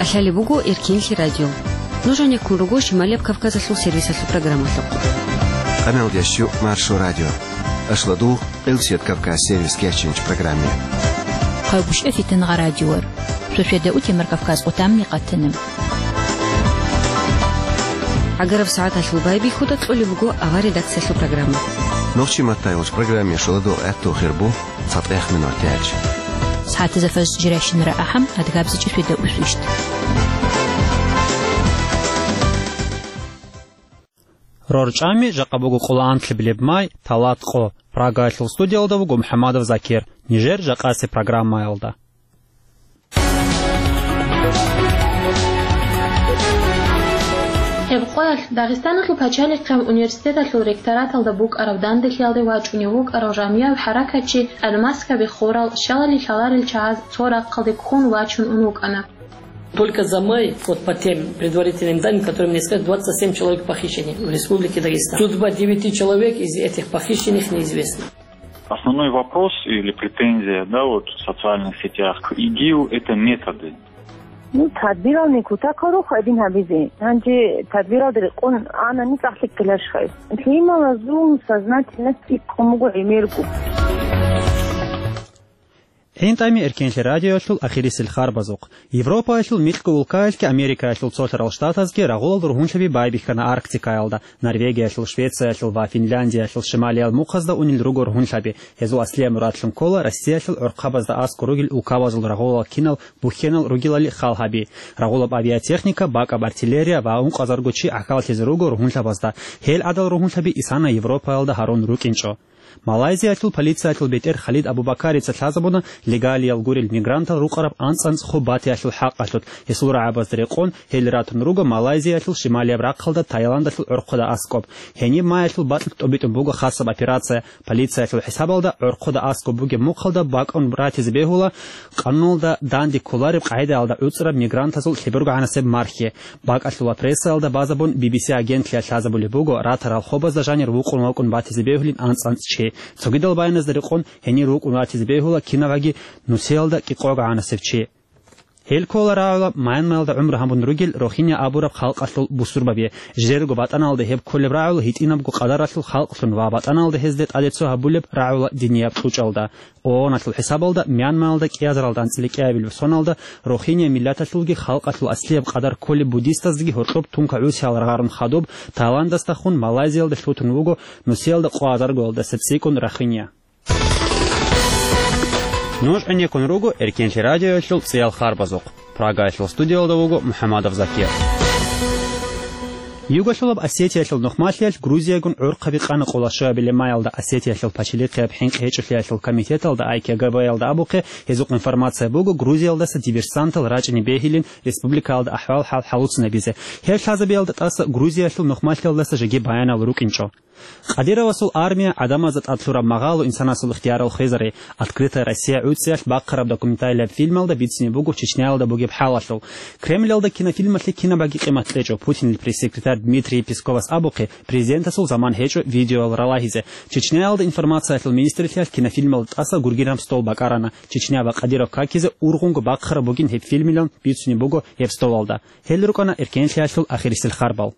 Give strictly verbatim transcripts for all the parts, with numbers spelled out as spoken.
Лъалеб буго Эркенлъи радио. Нуж гьанеккун руго Шималияб Кавказалъул сервисалъул программалъухъ. Къаналдящу Маршо радио. Ашладугъ Элсият Кавказ сервис кечинч программе. Хъайбушев Фитингъа радиор. Шошеда утемар Кавказ отамни къатанам. ГӀагараб сагӀаталъул байбихьуда кьолеб буго авар редакциялъул программа. Нохчи маттайгъуч программе шоладугъ гӀатту хирбу. ЦатӀех минуталъ. СагӀатазда фаз жирайщинара ахӀам, адгабзичӀеб шведа усвищт. РорчӀами жакъа буго къоло анлъабилеб май, талат къо. Прагаялъул студиялда вуго МухӀамадов Закир. Нижер жакъасеб программаялда. Гьеб къоялъ Дагъистаналъул пачалихъе университеталъул ректораталда букӀараб данделъиялде вачӀунев вукӀарав жамияб хӀаракатчи Алмас Кабихурал щалали лъаларел чагӀаз цо рахъалде ккун вачун ун вукӀана. Только за май, вот по тем предварительным данным, которые мне сказали, двадцать семь человек похищены в Республике Дагестан. Судьба девяти человек из этих похищенных неизвестна. Основной вопрос или претензия, да, вот в социальных сетях к ИГИЛ — это методы. Ну, тадбирални кутакал рух гьадин гьабизе. Гьанже тадбиралда рекъон анани цӀакъ лъикӀкӀилаш хай. Лъималазул сознательность иккун буго гӀемерго. ГӀинтӀами Эркенлъи радиоялъул ахирисел харбазухъ. Европаялъул микьго улкаялъги Америкаялъул цолъарал штатазги рагъулал ругьунлъаби байбихьана Арктикаялда, Норвегиялъул, Швециялъул ва Финляндиялъул шималиял мухъазда унел руго ругьунлъаби. Гьезул аслияб мурадлъун ккола Россиялъул гӀорхъабазда аскӀор ругел улкабазул рагъулал кинал бухьенал ругелали хал гьаби. Рагъулаб авиатехника, бакӀаб артиллерия ва ункъазарго чи гӀахьаллъизе руго ругьунлъабазда. Гьел гӀадал ругьунлъаби исана Европаялда гьарун рукӀинчӀо. Малайзиялъул полициялъул бетӀер Халид Абубакарица лъазабуна легалиял гурел мигрантал рукъараб анцӀ-анцӀ хоб батиялъул хӀакъалъулъ, гьесул рагӀабазда рекъон гьел ратун руго Малайзиялъул шималияб рахъалда Таиландалъул гӀорхъода аскӀоб. Гьениб маялъул бакьулъ тӀобитӀун буго хасаб операция. Полициялъул хӀисабалда гӀорхъода аскӀоб бугеб мухъалда бакӀун ратизе бегьула къануналда данде кколареб къагӀидаялда гӀуцӀраб мигрантазул лъебургогӀанасеб мархьи. БакӀалъула прессаялда базабун Би Би Си агентлъиялъ лъазабулеб буго ратарал хобазда жанир вукъун вакӀун батизе бегьулин анцӀ-анцӀ чи. Цогидал баяназда рекъон гьенир вукӀун ратизе бегьула кинаваги нусиялда кӀикъогогӀанасев чи. Гьел ккола рагӀула Мьянмаялда гӀумру гьабун ругел Рохиня абураб халкъалъул бусурбаби. Жидерго батӀаналда гьеб кколеб рагӀул гьитӀинабго къадаралъул халкълъун ва батӀаналда гьезде тӀадецо гьабулеб рагӀула динияб кьучӀалда. ООНалъул хӀисабалда Мьянмаялда кӀиазаралда анцӀила кӀиабилеб соналда Рохиня миллаталъулги халкъалъул аслияб къадар кколеб буддистаздаги гьоркьоб тункагӀусиял рагъарун хадуб Таиландасдахун Малайзиялде лъутун вуго нусиялда къоазаргоялдаса цӀикӀкӀун Рохиня. Нуж гӀенеккун руго Эркенлъи радиоялъул цӀиял харбазухъ. Прагаялъул студиялда вуго МухӀамадов Закир. Югалъулаб Осетиялъул нухмалъиялъ Грузиягун гӀурхъаби къана къоло щуабилеб маялда Осетиялъул пачалихъияб хӀинкъи гьечӀолъиялъул комитеталда, ай кей джи бэ-ялда абухъе, гьезухъ информация буго Грузиялдаса диверсантал рачӀине бегьилин республикаялда ахӀвал-хӀал хӀалуцинабизе. Гьеб лъазабиялда тӀаса Грузиялъул нухмалъиялдаса жеги баянал рукӀинчӀо. Кадыровасул армия гӀадамазда тӀад лъураб магъало инсанасул ихтиярал хвезари. «Открытая Россия» гӀуцӀиялъ бахъараб документалияб фильмалда бицине буго Чечняялда бугеб хӀалалъул. Кремльалда кинофильмалъе кинабаги къимат кьечӀо. Путинил пресс-секретарь Дмитрий Песковас абухъе, президентасул заман гьечӀо видеоял ралагьизе. Чечняялда информациялъул министрлъиялъ кинофильмалда тӀаса гургинаб стол бакӀарана. Чечня ва Кадыров какизе ургъунго бахъараб бугин гьеб фильмилан бицине буго гьеб столалда. Гьел рукӀана Эркенлъиялъул ахирисел харбал.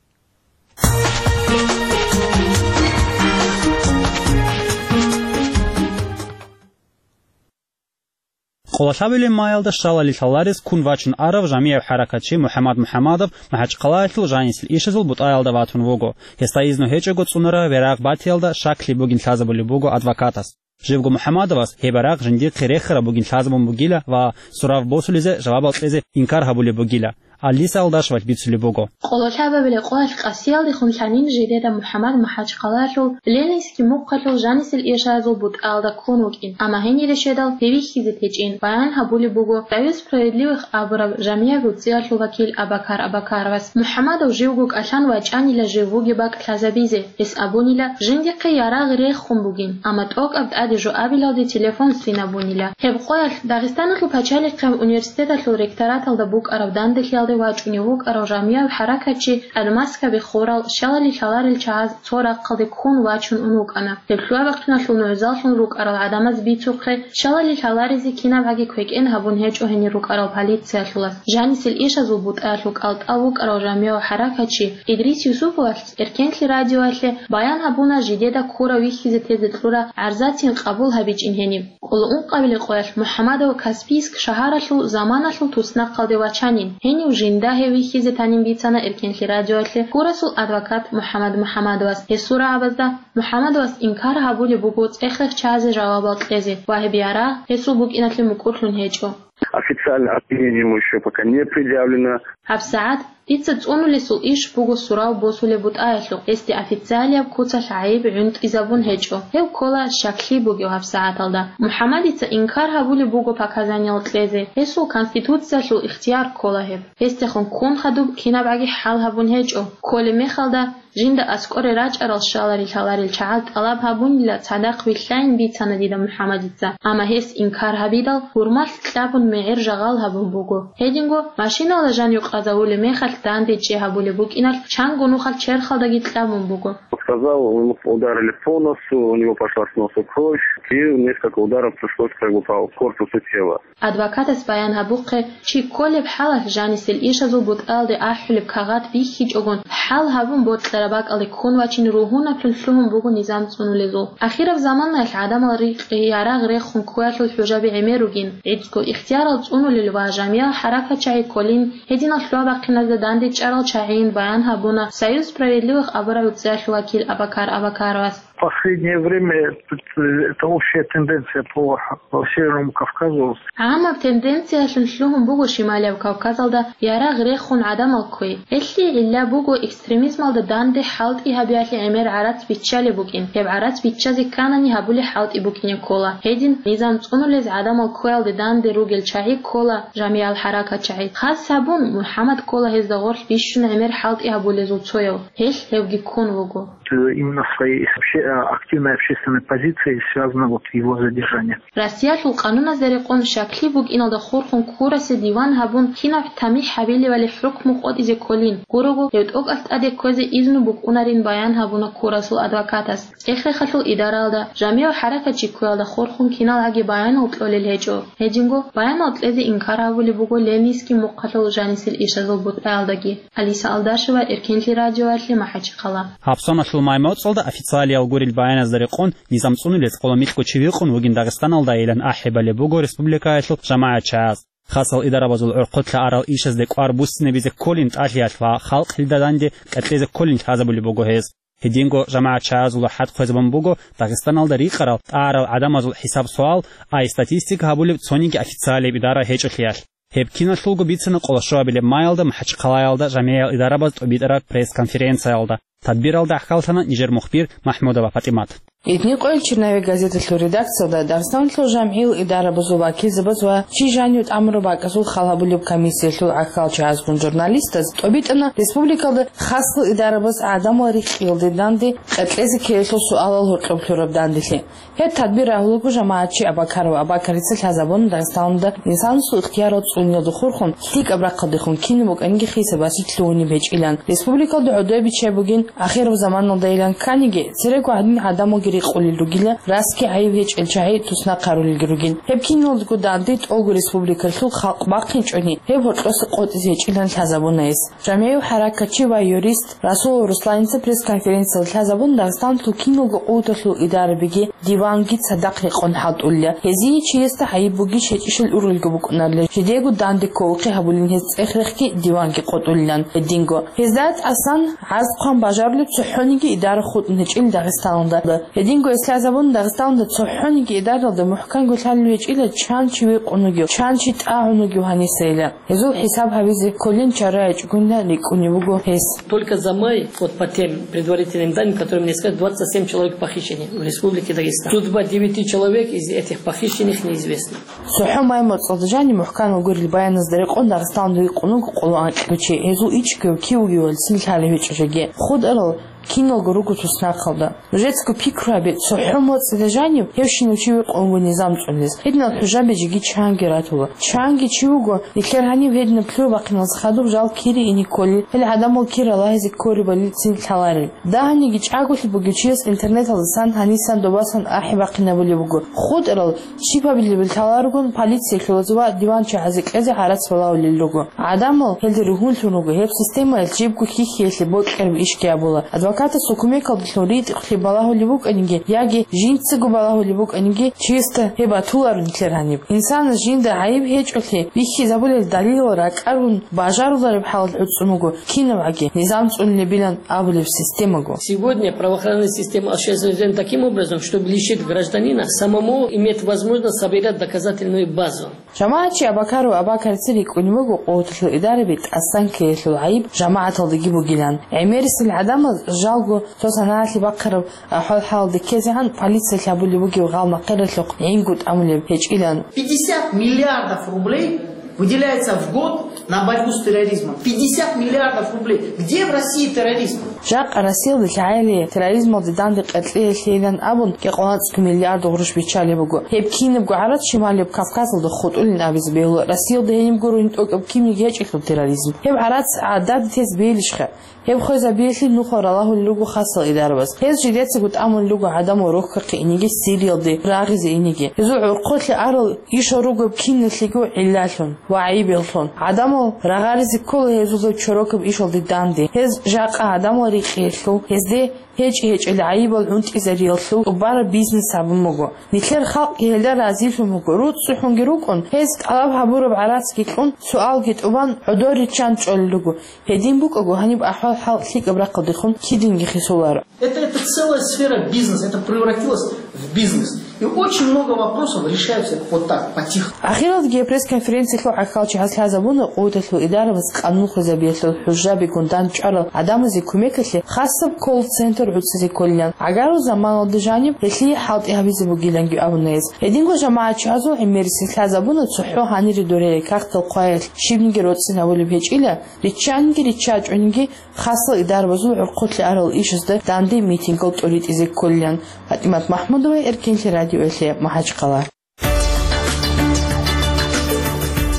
Къоло лъабилеб маялда щалали лъаларес ккун вачун арав жамияб хӀаракатчи МухӀаммад МухӀаммадов МахӀачхъалаялъул жанисел ишазул бутӀаялда ватун вуго. Гьесда изну гьечӀого цӀунараб верагъ батиялда щаклъи бугин лъазабулеб буго адвокатас. Живго МухӀаммадовас гьеб верагъ жиндихъе рехараб бугин лъазабун бугила ва сурав босулизе жавабал кьезе инкар гьабулеб бугила. Алиса Алдашевалъ бицулеб буго. Къоло лъабабилеб къоялъ къасиялдехун лъанин жидеда МухӀаммад МахӀачхъалаялъул Ленинский мухъалъул жанисел ишазул бутӀаялда ккун вукӀин, амма гьенире щведал гьев вихьизе течӀин, баян гьабулеб буго Союз справедливых абураб жамияб гӀуцӀиялъул вакил Абакар Абакаровас. МухӀаммадов живго кӀалъан вачӀанила жив вугеб бакӀ лъазабизе. Гьес абунила, жиндихъе ярагъ рехун бугин, амма тӀокӀаб тӀаде жо абилалде телефон свинабунила. Гьеб къоялъ Дагъистаналъул пачалихъияб университеталъул ректораталда букӀараб данделъиялде вачӀунев вукӀарав жамияв хӀаракатчи тӀад маскаби хурал, щалали лъаларел чагӀаз цо рахъалде ккун вачун ун вукӀана. Гьеб лъугьа-бахъиналъул нугӀзаллъун рукӀарал гӀадамаз бицухъе, щалали лъаларизе кинабгӀаги квекӀен гьабун гьечӀо гьенир рукӀарал полициялъулас. Жанисел ишазул бутӀаялъул кӀалтӀа вукӀарав жамияв хӀаракатчи Идрис Юсуповалъ Эркенлъи радиоялъе баян гьабуна жидеда кура вихьизе тезе кьура гӀарзатин къабул гьабичӀин гьениб. Кьулаункъабилеб къоялъ МухӀаммадов Каспийск шагьаралъул заманалъул туснахъалде вачанин, гьенив жинда гьев вихьизе танин бицана Эркенлъи радиоялъе курасул адвокат МухӀаммад МухӀаммадовас. Гьесул рагӀабазда МухӀаммадовас инкар гьабулеб буго цӀех-рехчазе жавабал кьезе ва гьеб ярагъ гьесул букӀиналъе мукӀурлъун гьечӀо. Официальное обвинение ему ещё пока не предъявлено. ГьабсагӀат дица цӀунулесул иш буго сурав босулеб бутӀаялъухъ, гьесде официалияб куцалъ гӀайиб гӀунтӀизабун гьечӀо. Гьев ккола щаклъи бугев гьабсагӀаталда. МухӀаммадица инкар гьабулеб буго показаниел кьезе, гьесул конституциялъул ихтияр ккола гьеб. Гьесдехун ккун хадуб кинабгӀаги хӀал гьабун гьечӀо. Кколеб мехалда, жинда аскӀоре рачӀарал щаларел-лъаларел чагӀаз тӀалаб гьабунила цадахъ вилълъайин бицана дида МухӀаммадица, амма гьес инкар гьабидал, гьурмалъ кьабун мегӀер жагъал гьабун буго. Гьединго машиналда жанив къазавулеб мехалъ данде чӀей гьабулеб букӀиналъ чанго нухалъ черхалдаги кьабун буго. Сказал, ему ударили по носу, у него пошла с носа кровь, и несколько ударов пришлось как бы по корпусу тела. Адвокатас баян гьабухъе, чи кколеб хӀалалъ жанисел ишазул бутӀаялде ахӀулеб кагъат бихьичӀогон, хӀал гьабун бокьараб бакӀалде ккун вачин ругьунаблъун лъугьун буго низам цӀунулезул. Ахираб заманаялъ гӀадамал рикъи ярагъ рехун ккуялъул хӀужаби гӀемер ругин, гӀицӀго ихтиярал цӀунулел ва жамиял хӀаракатчагӀи кколин, гьединал лъугьа-бахъиназда дандечӀарал чагӀийин баян гьабуна Союз справедливых абураб гӀуцӀиялъул вакил Абакар Абакаровас. Последнее время тут, э, это общая тенденция по, по Северному Кавказу. ГӀамаб тенденциялъун лъугьун буго Шималияб Кавказалда ярагъ рехун гӀадамал кквей. Гьелъие гӀилла буго экстремизмалда данде хӀалтӀи гьабиялъе гӀемер гӀарац биччалеб букӀин. Гьеб гӀарац биччазе кканани гьабулеб хӀалтӀи букӀине ккола. Гьедин низам цӀунулез гӀадамал кквеялде данде ругел чагӀи ккола жамиял хӀаракатчагӀи. Хас гьабун, МухӀаммад ккола гьезда гъорлъ бищун гӀемер хӀалтӀи гьабулезул цояв. Гьелъ гьевги ккун вуго. Именно своей вообще, а, активной общественной позицией связано вот его задержание. Россиялъул къануназда рекъон щаклъи букӀиналда хурхун курасе диван гьабун кинаб тамихӀ гьабилевали хӀукму къотӀизе кколин гурого, гьев тӀокӀалъ тӀаде кквезе изну букӀунарин баян гьабуна курасул адвокатас. ЦӀех-рехалъул идаралда, жамияв хӀаракатчи кквеялда хурхун киналгӀаги баянал кьолел гьечӀо. Гьединго баянал кьезе инкар гьабулеб буго Ленинский мухъалъул жанисел ишазул бутӀаялдаги. Алиса Алдашева, Эркенлъи радиоялъе, МахӀачхъала. Гьабсаналъул май моцӀалда официалиял гурел баяназда рекъон, низам цӀунулез къоло микьго чи вихъун вугин Дагъистаналдайилан ахӀи балеб буго республикаялъул жамагӀатчагӀаз. Хасал идарабазул гӀорхъолъа арал ишазде кӀвар буссинабизе кколин тӀалъиялъ ва халкъ гьелда данде къеркьезе кколин лъазабулеб буго гьез. Гьединго жамагӀатчагӀазул хӀад хъвезабун буго Дагъистаналда рикъарал, тӀагӀарал гӀадамазул хӀисаб-суал, ай статистика гьабулеб цониги официалияб идара гьечӀолъиялъ. Гьеб киналъулго бицана къоло щуабилеб маялда МахӀачхъалаялда жамигӀиял идарабаз тӀобитӀараб пресс-конференциялда. Тадбиралда гӀахьаллъана нижер мухбир МахӀмудова ПатӀимат. Гьединго Черновик газеталъул редакциялда Дагъистаналъул жамгӀиял идарабазул вакилзабаз ва чи жанив тӀамураб бакӀазул хал гьабулеб комиссиялъул гӀахьалчагӀазгун журналистаз тӀобитӀана республикалда хасал идарабаз гӀадамал рихкӀиялде данде къеркьезе ккелелъул суалал гьоркьоб лъураб данделъи. Гьеб тадбир рагьулаго жамагӀатчи Абакарова Абакарица лъазабуна Дагъистаналда инсанасул ихтиярал цӀуниялда хурхун, лъикӀаб рахъалдехун кинаб букӀаниги хисабалъе лъугьунеб гьечӀилан. Республикалда гӀодобе биччай бугин, ахираб заманалдайилан кканиги, церего гьадин гӀадамалги рикъулел ругила, расги гӀайиб гьечӀел чагӀи туснахъарулелги ругин. Гьеб киналго данде тӀолго республикалъул халкъ бахъинчӀони, гьеб гьоркьоса къотӀизе гьечӀилан лъазабуна гьес. ЖамигӀияв хӀаракатчи ва юрист Расулов Русланица пресс-конференциялда лъазабун, Дагъистаналъул киналго къуваталъул идарабиги диванги цадахъ рекъон хӀалтӀулел. Гьезие чиясда гӀайиб бугищ гьечӀищал ургъелги букӀунарила, жидеего данде кколухъе гьабулин гьез цӀех-рехги диванги къотӀулилан гьединго. Гьезда тӀасан гӀарз-хъван бажарулеб цохӀониги идара хутӀун гьечӀил Дагъистаналда. Гьединго гьес лъазабун, Дагъистаналда цохӀониги идаралда мухӀканго лъалев гьечӀила чан чи векъун вугев, чан чи тӀагӀун вугев гьанисайила. Гьезул хӀисаб гьабизе кколин чара гьечӀогуна рикӀкӀунев вуго гьес. Только за май, вот по тем предварительным данным, которые мне сказали, двадцать семь человек похищены в Республике Дагестан. Судьба девяти человек из этих похищенных неизвестна. ЦохӀо май моцӀалда жанив мухӀкан вугорил баяназда рекъон Дагъистаналда векъун вуго къоло анкьго чи, гьезул ичӀго кив вугевали цин лъалев гьечӀо жеги. ХутӀарал киналго руго туснахъалда. Нужецаго пикру гьабе, цохӀо моцӀида жанив гьевщинав чи векъун вуго низам цӀунилес. Гьединал хӀужаби жеги чанги ратула. Чанги чи вуго, нилъер гьанив гьединаб лъугьа-бахъиналдаса хадуб жал кири ине кколел, гьел гӀадамал кир ралагьизе кколебали цин лъаларел. Дагьаниги чӀаголъи бугев чияс интернеталдасан гьанисан добасан ахӀи бахъинабулеб буго. ХутӀарал щибабилеб лъаларогун полициялъулаз ва диванчагӀазе кьезе гӀарац балагьулел руго. ГӀадамал гьелде ругьунлъун руго, гьеб системаялъ жибго хьихьиялъе бокьараб ишги абула. Адвокатасул кумекалдалъун ритӀухълъи балагьулеб букӀаниги яги жинцаго балагьулеб букӀаниги, чиясда гьеб батуларо нилъер гьаниб. Инсанас жинда гӀайиб гьечӀолъи бихьизабулел далилал ракӀарун бажарулареб хӀалалъ гӀуцӀун вуго кинабгӀаги низам цӀунулебилан абулеб системаго. Сегодня правоохранная система осуществляет таким образом, чтобы лишить гражданина самому иметь возможность собирать доказательную базу. ЖамагӀатчи Абакаров Абакарца рикӀкӀунеб буго къуваталъул идараби тӀасан ккеялъул гӀайиб жамагӀаталдаги бугилан. ГӀемерисел гӀадамаз жалго цо санагӀалъе бахъараб ахӀвал-хӀалалда ккезегӀан полициялъ гьабулеб бугеб гъал-махъиралъухъ гӀинго тӀамулеб гьечӀилан. Пятьдесят миллиардов рублей выделяется в год на борьбу с терроризмом. Пятьдесят миллиардов рублей. Где в России терроризм? Жакъа Россиялда лъагӀалие терроризмалде данде къеркьеялъейилан абун, кӀикъоялда цӀикӀкӀун миллиард гъурущ биччалеб буго. Гьеб кинабго гӀарац Шималияб Кавказалда хутӀулин абизе бегьула, Россиялда гьениб гурони тӀокӀаб кинниги гьечӀелъул терроризм. Гьеб гӀарац гӀадада тезе бегьилищха? Гьеб хвезабиялъе нухал ралагьулел руго хасал идарабаз. Гьез жидецаго тӀамулел руго гӀадамал рохьухъе инеги, Сириялде рагъизе инеги. Гьезул гӀурхъулъе арал ишал руго киналъего гӀиллалъун ва гӀайибаллъун. ГӀадамал рагъаризе ккола гьезулаб чорокаб ишалде данде. Гьез жакъа гӀадамал рикьиялъул, гьезде гьечӀи-гьечӀел гӀайибал гӀунтӀизариялъул тӀубараб бизнес гьабун буго. Нилъер халкъги гьелда разилъун буго. РуцӀцӀухӀунги рукӀун, гьез тӀалаб гьабураб гӀарацги кьун, суалги тӀубан гӀодор риччан чӀолел руго. Гьедин букӀаго, гьаниб ахӀвал-хӀал лъикӀаб рахъалдехун кидинги хисуларо. Это, это целая сфера бизнеса, это превратилось в бизнес. И очень много вопросов решаются вот так, по-тихому. Ахиралдаги пресс-конференциялъул гӀахьалчи гьалъазабуна къуваталъул идарабаз къанун хвезабиялъул хӀужабигун дандчӀварал гӀадамазе кумекалъе хасаб колл-центр гӀуцӀизе кколилан. ГӀагарул заманалда жаниб гьелъие хӀалтӀи гьабизе бугиланги абуна гьез. Гьединго жамагӀатчиясул гӀемерисез лъазабуна цохӀо гьанире дургьел какдал хъваялъ щибниги роцӀцӀинабулеб гьечӀила, риччанги риччачӀониги хасал идарабазул гӀурхъулъе арал ишазда данде митингал тӀуритӀизе кколилан. ПатӀимат МахӀмудова, Эркенлъи радиоялъе, МахӀачхъала.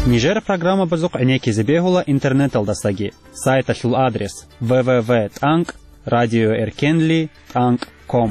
Нижер программабазухъ гӀенеккизе бегьула интернеталдасаги. Сайталъул адрес: в в в тӀанкӀ радиоэркенли тӀанкӀ ком.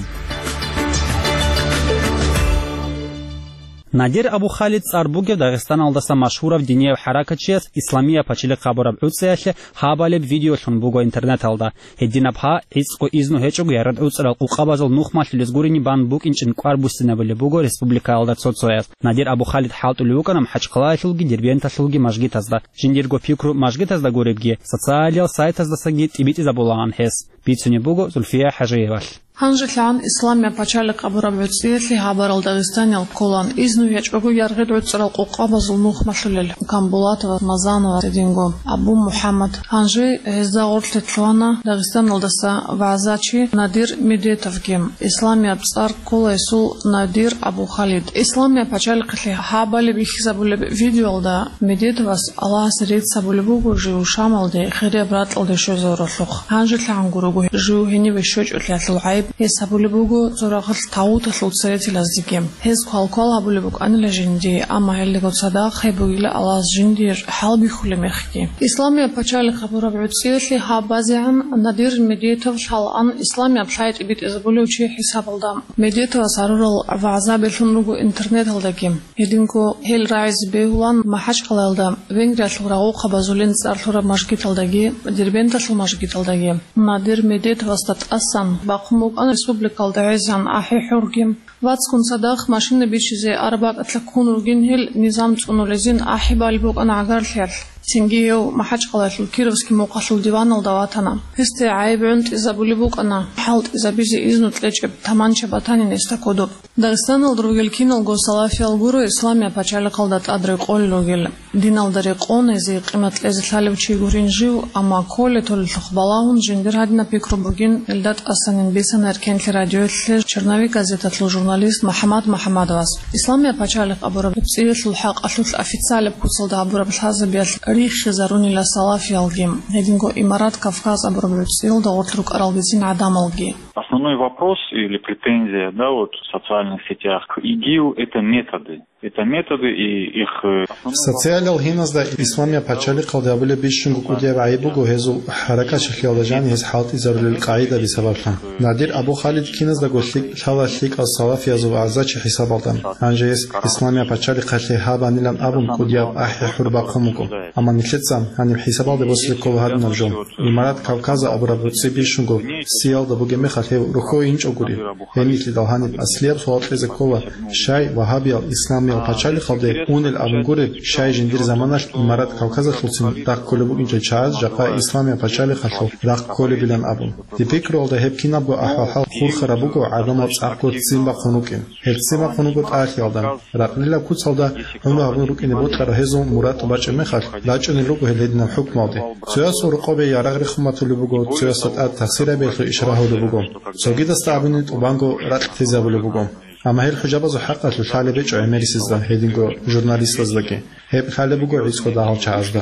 Надир Абу-Халид цӀар бугев Дагъистаналдаса машгьурав динияв хӀаракатчияс Исламия пачалихъ гьабураб гӀуцӀиялъе гьабалеб видеолъун буго интернеталда. Гьединаб гьа, гӀицӀго изну гьечӀого яргъи гӀуцӀарал къукъабазул нух малъулез гурони бан букӀинчӀин кӀвар буссинабулеб буго республикаялда цо-цояз. Надир Абу-Халид хӀалтӀулев вукӀана МахӀачхъалаялъулги Дербенталъулги мажгитазда. Жиндирго пикру мажгитазда гуребги, социалиял сайтаздасаги тӀибитӀизабулаан гьес. Бицунеб буго Зульфия ХӀажиевалъ. ГьанжелъагӀан Исламия пачалихъ абураб гӀуцӀиялъе гьабарал Дагъистаниял кколаан изну гьечӀого яргъи гӀуцӀарал къукъабазул нух малъулел Камбулатова, Мазанова, гьединго Абу МухӀаммад. Гьанже гьезда гъорлъе лъугьана Дагъистаналдаса вагӀзачи Надир Медетовги. Исламияб цӀар ккола гьесул Надир Абу-Халид. Исламия пачалихъалъе гьабали бихьизабулеб видеоялда Медетовас Аллагьасе рецц гьабулеб буго жив Шамалде хирияб ракьалде щвезавуралъухъ. ГьанжелъагӀан гурого жив гьениве щвечӀолъиялъул гӀайиб гьес гьабулеб буго цо рагъалъ тагъуталъул церетилаздеги. Гьез квалквал гьабулеб букӀанила жиндие, амма гьелдаго цадахъ гьеб бугила Аллагьас жиндир хӀалбихьулеб мехги. Исламия пачалихъ абураб гӀуцӀиялъе гьаб базегӀан Надир Медетов лъалаан исламияб лъай тӀибитӀизабулев чи хӀисабалда. Медетовас гьарурал вагӀза берлъун руго интернеталдаги. Гьединго гьел рагӀизе бегьулаан МахӀачхъалаялда Венгриялъул рагъухъабазулин цӀар лъураб мажгиталдаги, Дербенталъул мажгиталдаги. Надир Медетовасда тӀасан бахъун букӀана республикалда гӀезегӀан ахӀи-хӀурги. Вацгун цадахъ машина бичизе Арбаталъа ккун ругин гьел низам цӀунулезин ахӀи балеб букӀана гӀагарлъиялъ. Цинги гьев МахӀачхъалаялъул Кировский мухъалъул диваналда ватана. Гьесде гӀайиб гӀунтӀизабулеб букӀана, хӀалтӀизабизе изну кьечӀеб таманча батанин гьесда кодоб. Дагъистаналда ругел киналго салафиял гуро Исламия пачалихъалда тӀад рекъолел ругел. Диналда рекъон, гьезие къимат кьезе лъалев чи гурин жив, амма кколел-толеллъухъ балагьун жиндир гьадинаб пикру бугин, илда тӀасанин бицана Эркенлъи радиоялъе Черновик газеталъул журналист МухӀаммад МухӀаммадовас. Исламия пачалихъ абураб гӀуцӀиялъул хӀакъалъулъ официалаб куцалда гьабураб лъазабиялъ риххизарунила салафиялги, гьединго Имарат Кавказ абураб гӀуцӀиялда гъорлъ рукӀаралдецин гӀадамалги. Основной вопрос или претензия, да, вот в социальных сетях к ИГИЛ — это методы. Это методы и их, э, основной... Социалал гьиназда Исламияб пачалихъалде абулеб бищунго кӀудияб гӀайиб буго гьезул хӀаракатчилъиялда жаниб гьез хӀалтӀизарулел къагӀидаби сабаблъун. Надир Абу Халид киназдаго лъикӀ лъала лъикӀал салафиязул агӀзачи хӀисабалда. Гьанже гьес Исламияб пачалихъалъе гьабанилан абун кӀудияб ахӀи-хӀур бахъун буго. Амма нилъеца гьаниб хӀисабалде босизе ккола гьадинаб жо. Имарат Кавказа абураб гӀуцӀи бищунго сиялда бугеб мехалъ гьев рухьо инчӀогури. Гьенилъидал гьаниб аслияб суал кьезе ккола, щай вагьабиял исламиял пачалихъалде унел абун гуреб, щай жиндир заманалъ Имарат Кавказалъулцин рахъ кколеб букӀинчӀел чагӀаз жакъа Исламияб пачалихъалъул рахъ кколебилан абун. Дир пикруялда гьеб кинабго ахӀвал-хӀал хурхараб буго гӀадамал цӀакъго ццин бахъун рукӀин. Гьеб ццин бахъун руго тӀалъиялда. Ракълилаб куцалда гӀумру гьабун рукӀине бокьараб гьезул мурад тӀубачӀеб мехалъ, рачӀунел руго гьел гьединаб хӀукмуялде. Цоясул рокъобе ярагъ рехун батулеб буго, цоясда тӀад тахсирабиялъул иш рагьулеб буго. Цогидасда абуни тӀубанго ракълъизабулеб буго. Амма гьел хӀужабазул хӀакъалъулъ лъалеб гьечӀо гӀемерисезда, гьединго журналистаздаги. Гьеб лъалеб буго гӀицӀго дагьал чагӀазда.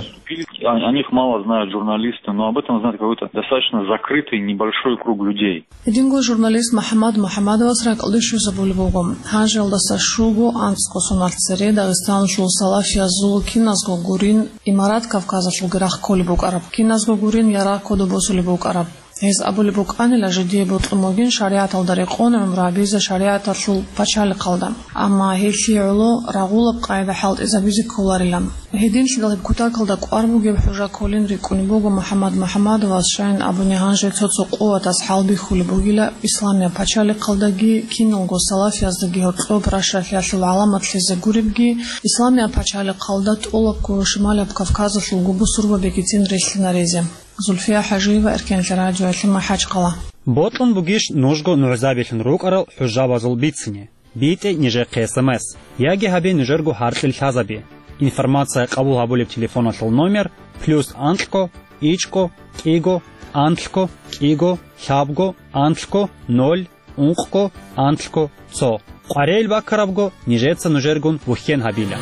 О, о них мало знают журналисты, но об этом знает какой-то достаточно закрытый небольшой круг людей. Гьединго журналист МухӀаммад МухӀаммадовас ракӀалде щвезабулеб буго. Гьанжеялдаса щуго анцӀго соналъ цере Дагъистаналъул салафиязул киназго гурин, Имарат Кавказалъулги рахъ кколеб букӀараб, киназго гурин ярагъ кодоб босулеб букӀараб. Гьез абулеб букӀанила, жидее бокьун бугин шаригӀаталда рекъон гӀумру гьабизе шаригӀаталъул пачалихъалда. Амма гьелъие гӀоло рагъулаб къагӀида хӀалтӀизабизе кколарилан. Гьединлъидал гьеб кутакалда кӀвар бугеб хӀужа кколин рикӀкӀунеб буго МухӀаммад МухӀаммадовас, щайин абуни гьанже цо-цо къуватас хӀалбихьулеб бугила Исламияб пачалихъалдаги киналго салафияздаги гьоркьоб ращалъиялъул гӀаламатлъизе гуребги, Исламияб пачалихъалда тӀолабго Шималияб Кавказалъулго бусурбабигицин релълъинаризе. Зульфия ХӀажиева, Эркенлъи радиоялъе, МахӀачхъала. Бокьун бугищ нужго нугӀзабилъун рукӀарал хӀужабазул бицине? БитӀе нижехъе эс эм эс, яги гьабе нужерго гьаркьил лъазаби. Информация къабул гьабулеб телефоналъул номер: плюс анкьго, ичӀго, кӀиго, анлъго, кӀиго, лъабго, анлъго, ноль, ункъго, анлъго, цо. Къваригьел баккарабго нижеца нужергун вухьен гьабила.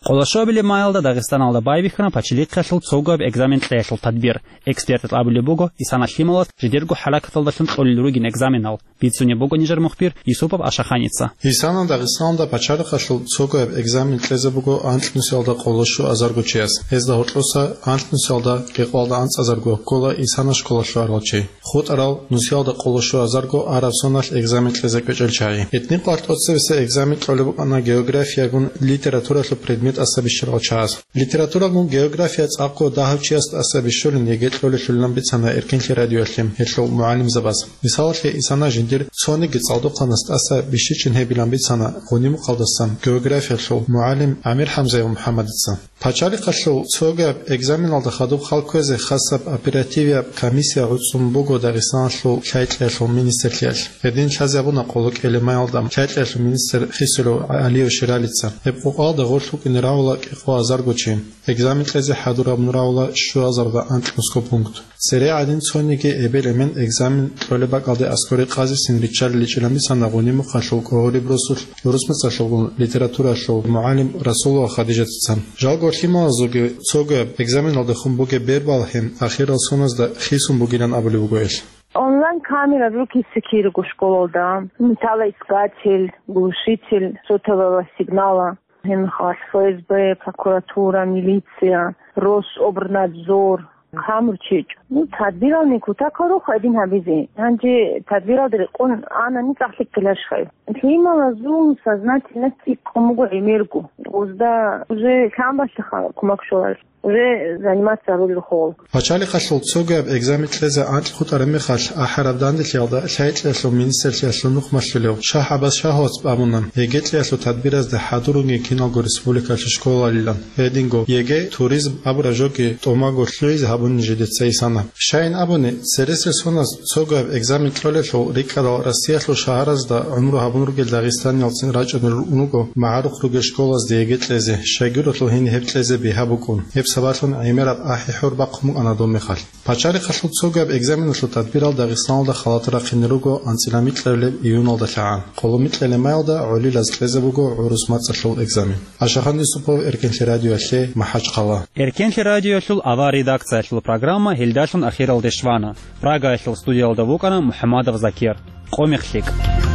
Къолошобилеб майалда Дагъистаналда байбихьана пачалихъалъул цогояб экзамен кьеялъул тадбир. Экспертаз абулеб буго, исана лъималаз жидерго хӀаракаталдалъун кьолел ругин экзаменал. Бицунеб буго нижер мухбир Юсупов Ашаханица. Исана Дагъистаналда пачалихъалъул цогояб экзамен кьезе буго анкьнусиялда къоло щуазарго чияс. Гьезда гьоркьоса анкьнусиялда кӀикъоялда анцӀазарго ккола исана школалъуарал чи. ХутӀарал нусиялда къоло щуазарго араб соналъ экзамен кьезе кӀвечӀел чагӀи. ГьитӀинкъоялъ тӀоцебесеб экзамен кьолеб букӀана географиягун литературалъул предмет тӀаса бищарал чагӀаз. Литературагун география цӀакъго дагьав чияс тӀаса бищулин ЕГЭ кьолелъулилан бицана Эркенлъи радиоялъе гьелъул мугӀалимзабаз. Мисалалъе, исана жиндир цониги цӀалдохъанас тӀаса бищичин гьебилан бицана Гъунимукъалдасан географиялъул мугӀалим ГӀамир-ХӀамзаев МухӀаммадица. Пачалихъалъул цогояб экзаменалда хадуб хал кквезе хасаб оперативияб комиссия гӀуцӀун буго Дагъистаналъул лъай-кьеялъул министрлъиялъ. Гьедин лъазе абуна къоло кӀелемаялда лъай-кьеялъул министр Хисулев ГӀалиев Ширалица. Гьеб къокъалда гъорлъ вукӀине рагьула кӀикъоазарго чи. Экзамен кьезе хӀадур гьабун рагьула щуазарда анкьнусго пункт. Цере гӀадин цониги эбел-эмен экзамен кьолеб бакӀалде аскӀоре къазисин риччалиличӀилан бицана Гъунимухъалъул КӀогьориб росулъ урус мацӀалъулгун литературалъул мугӀалим Расулова Хадижатица. Жалго лъималазулги цогояб экзаменалдехун бугеб бер балгьин ахирал соназда хисун бугилан абулеб буго гьелъ. Онлайн камера рукисе кириго школалда, металлоискатель, глушитель сотового сигнала, гьеб мехалъ ФСБ, прокуратура, милиция, Рособрнадзор, камурчичӀ. Ну, тадбирални кутакал рухъ гьедин гьабизе. Гьанже тадбиралда рекъон анани цӀакъ лъикӀ ккеларищ гьеб? Лъималазул сознательность цӀикӀкӀун буго гӀемерго. Озда уже лъан балъиха кумак щоларелъул. Уже заниматься гьарулел хол. Пачалихъалъул цогояб экзамен кьезе анкьго хутӀараб мехалъ, ахӀараб данделъиялда лъай-кьеялъул министрлъиялъул нухмалъулев ШагьгӀабас Шагьовац абуна, ЕГЭ кьеялъул тадбиразде хӀадурунги киналго республикалъул школалилан. Гьединго ЕГЭ, туризм абураб жоги тӀомаго лъугӀизе гьабуни жидеца исана. Щайин абуни, цересел соназ цогаб экзамен кьолелъул рикӀкӀадал Россиялъул шагьаразда гӀумру гьабун ругел дагъистаниялцин рачӀунел руго магӀарухъ ругел школазде ЕГЭ кьезе, щайгурелъул гьениб гьеб кьезе бигьа букӀун. Гьеб сабаблъун гӀемераб ахӀи-хӀур бахъун букӀана доб мехалъ. Пачалихъалъул цогаб экзаменалъул тадбирал Дагъистаналда халатун рахъине руго анцӀила микьабилеб июналда лъагӀан. Къоло микьабилеб майалда гӀолилаз кьезе буго гӀурус мацӀалъул экзамен. Ашахан Юсупов, Эркенлъи радиоялъе, МахӀачхъала. Эркенлъи радиоялъул авар редакциялъул программа гьелдалъун ахиралде щвана. Прагаялъул студиялда вукӀана МухӀамадов Закир. Къо мех лъикӀ.